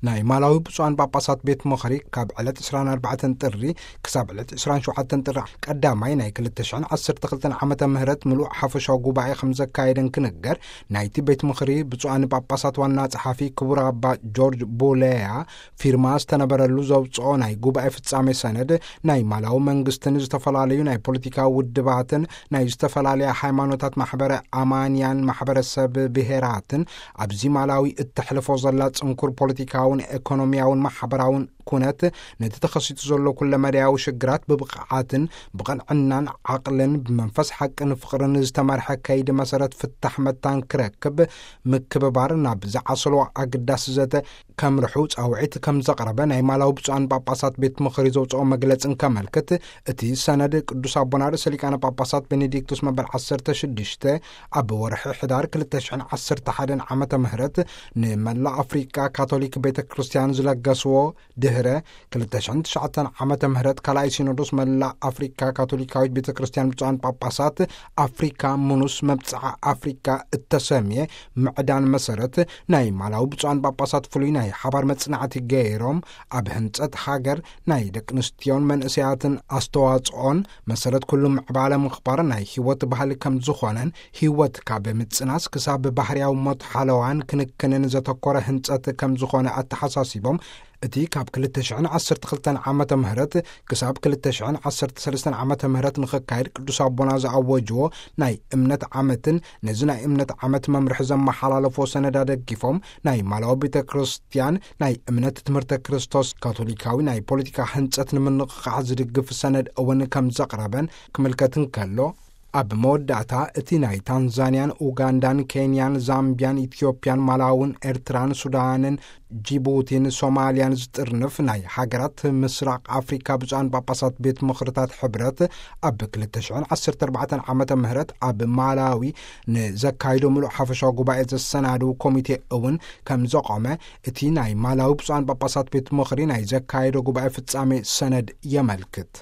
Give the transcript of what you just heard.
ናይ ማላዊ ብፁዓን ጳጳሳት ቤት ምኽሪ ካብ ዕለት ዕስራን ኣርባዕተን ጥሪ ክሳብ ዕለት ዕስራን ሸውዓተን ጥሪ ቀዳማይ ናይ ክልተ ሽሕን ዓሰርተ ክልተን ዓመተ ምህረት ምሉእ ሓፈሻዊ ጉባኤ ከም ዘካየደን ክንገር፣ ናይቲ ቤት ምኽሪ ብፁዓን ጳጳሳት ዋና ጸሓፊ ክቡር ኣባ ጆርጅ ቡሌያ ፊርማ ዝተነበረሉ ዘውፅኦ ናይ ጉባኤ ፍጻሜ ሰነድ፣ ናይ ማላዊ መንግስትን ዝተፈላለዩ ናይ ፖለቲካ ውድባትን ናይ ዝተፈላለያ ሃይማኖታት ማሕበረ ኣማንያን ማሕበረሰብ ብሄራትን ኣብዚ ማላዊ እተሕልፎ ዘላ ጽንኩር ፖለቲካውን ኤኮኖሚያውን ማሕበራውን ኩነት፣ ነቲ ተኸሲቱ ዘሎ ኩለመዳያዊ ሽግራት ብብቕዓትን ብቕንዕናን ዓቕልን ብመንፈስ ሓቅን ፍቕርን ዝተመርሐ ከይዲ መሰረት ፍታሕ መታን ክረክብ ምክብባር ናብ ዝዓሰሎ ኣገዳሲ ዘተ ከምርሑ ጻውዒት ከም ዘቕረበ ናይ ማላዊ ብፁዓን ጳጳሳት ቤት ምኽሪ ዘውፅኦ መግለጽ እንከመልክት፣ እቲ ሰነድ ቅዱስ ኣቦና ርእሰ ሊቃነ ጳጳሳት ቤኔዲክቱስ መበል ዓሰርተ ሽዱሽተ ኣብ ወርሒ ሕዳር ክልተ ሽሕን ዓሰርተ ሓደን ዓመተ ምህረት ንመላእ ኣፍሪቃ ካቶሊክ ቤተ ክርስቲያን ዝለገስዎ፣ ድህረ ክልተ ሽሕን ትሽዓተን ዓመተ ምህረት ካልኣይ ሲኖዶስ መላእ ኣፍሪካ ካቶሊካዊት ቤተ ክርስቲያን ብፁዓን ጳጳሳት ኣፍሪካ ምኑስ መብጽዓ ኣፍሪካ እተሰምየ ምዕዳን መሰረት፣ ናይ ማላዊ ብፁዓን ጳጳሳት ፍሉይ ናይ ሓባር መጽናዕቲ ገይሮም፣ ኣብ ህንጸት ሃገር ናይ ደቂ ኣንስትዮን መንእሰያትን ኣስተዋጽኦን መሰረት ኩሉ ምዕባለ ምኽባር ናይ ህይወት ባህሊ ከም ዝኾነን፣ ህይወት ካብ ምጽናስ ክሳብ ባህርያዊ ሞት ሓለዋን ክንክንን ዘተኮረ ህንጸት ከም ዝኾነ ኣተሓሳሲቦም፣ እቲ ካብ ክልተ ሽሕን ዓሰርተ ክልተን ዓመተ ምህረት ክሳብ ክልተ ሽሕን ዓሰርተ ሰለስተን ዓመተ ምህረት ንኽካየድ ቅዱስ ኣቦና ዝኣወጅዎ ናይ እምነት ዓመትን ነዚ ናይ እምነት ዓመት መምርሒ ዘመሓላለፎ ሰነድ ኣደጊፎም፣ ናይ ማላዊ ቤተ ክርስቲያን ናይ እምነት ትምህርተ ክርስቶስ ካቶሊካዊ ናይ ፖለቲካ ህንጸት ንምንቕቓሕ ዝድግፍ ሰነድ እውን ከም ዘቕረበን ክምልከት እንከሎ፣ ኣብ መወዳእታ እቲ ናይ ታንዛንያን፣ ኡጋንዳን፣ ኬንያን፣ ዛምቢያን፣ ኢትዮጵያን፣ ማላውን፣ ኤርትራን፣ ሱዳንን፣ ጂቡቲን፣ ሶማልያን ዝጥርንፍ ናይ ሃገራት ምስራቕ ኣፍሪካ ብፁዓን ጳጳሳት ቤት ምኽርታት ሕብረት ኣብ ክልተ ሽሕን ዓሰርተ ኣርባዕተን ዓመተ ምህረት ኣብ ማላዊ ንዘካይዶ ምሉእ ሓፈሻዊ ጉባኤ ዘሰናድው ኮሚቴ እውን ከም ዘቆመ እቲ ናይ ማላዊ ብፁዓን ጳጳሳት ቤት ምኽሪ ናይ ዘካየዶ ጉባኤ ፍጻሜ ሰነድ የመልክት።